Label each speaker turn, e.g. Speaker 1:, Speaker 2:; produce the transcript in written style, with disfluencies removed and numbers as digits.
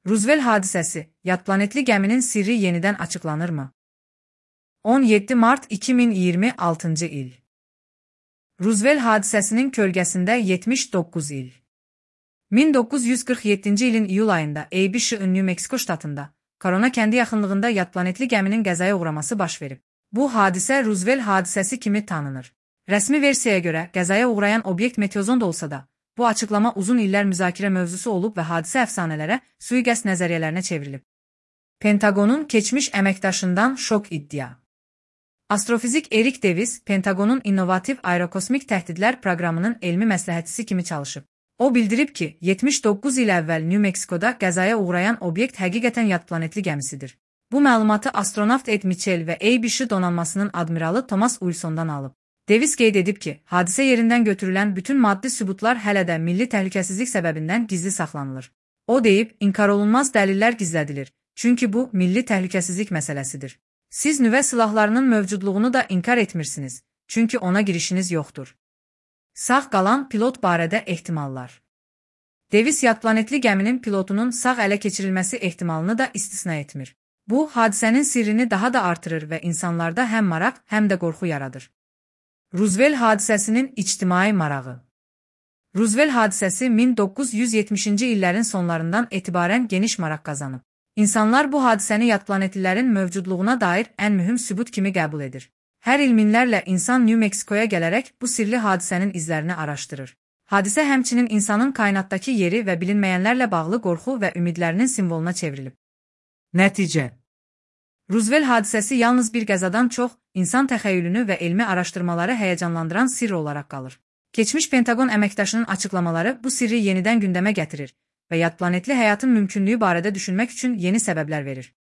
Speaker 1: Ruzvel hadisəsi, yad planetli gəminin sirri yenidən açıqlanırmı? 17 mart 2026 il. Ruzvel hadisəsinin kölgəsində 79 il. 1947 ilin iyul ayında ABC New Mexico ştatında, Corona kəndi yaxınlığında yad planetli gəminin qəzaya uğraması baş verib. Bu hadisə Ruzvel hadisəsi kimi tanınır. Rəsmi versiyaya görə qəzaya uğrayan obyekt meteozond olsa da, bu açıqlama uzun illər müzakirə mövzusu olub və hadisə əfsanələrə, sui-qəsd nəzəriyyələrinə çevrilib. Pentagonun keçmiş əməkdaşından şok iddia. Astrofizik Erik Davis, Pentagonun innovativ aerokosmik təhdidlər proqramının elmi məsləhətçisi kimi çalışıb. O bildirib ki, 79 il əvvəl New Mexicoda qəzaya uğrayan obyekt həqiqətən yad planetli gəmisidir. Bu məlumatı astronavt Ed Mitchell və ABC donanmasının admiralı Thomas Wilsondan alıb. Davis qeyd edib ki, hadisə yerindən götürülən bütün maddi sübutlar hələ də milli təhlükəsizlik səbəbindən gizli saxlanılır. O deyib, inkar olunmaz dəlillər gizlədilir, çünki bu milli təhlükəsizlik məsələsidir. Siz nüvə silahlarının mövcudluğunu da inkar etmirsiniz, çünki ona girişiniz yoxdur. Sağ qalan pilot barədə ehtimallar. Davis yad planetli gəminin pilotunun sağ ələ keçirilməsi ehtimalını da istisna etmir. Bu, hadisənin sirrini daha da artırır və insanlarda həm maraq, həm də qorxu yaradır. Ruzvel hadisəsinin ictimai marağı. Ruzvel hadisəsi 1970-ci illərin sonlarından etibarən geniş maraq qazanıb. İnsanlar bu hadisəni yad planetlilərin mövcudluğuna dair ən mühüm sübut kimi qəbul edir. Hər il minlərlə insan New Mexicoya gələrək bu sirli hadisənin izlərini araşdırır. Hadisə həmçinin insanın kainatdakı yeri və bilinməyənlərlə bağlı qorxu və ümidlərinin simvoluna çevrilib. Nəticə. Ruzvel hadisəsi yalnız bir qəzadan çox, insan təxəyyülünü və elmi araşdırmaları həyəcanlandıran sirr olaraq qalır. Keçmiş Pentagon əməkdaşının açıqlamaları bu sirri yenidən gündəmə gətirir və yad planetli həyatın mümkünlüyü barədə düşünmək üçün yeni səbəblər verir.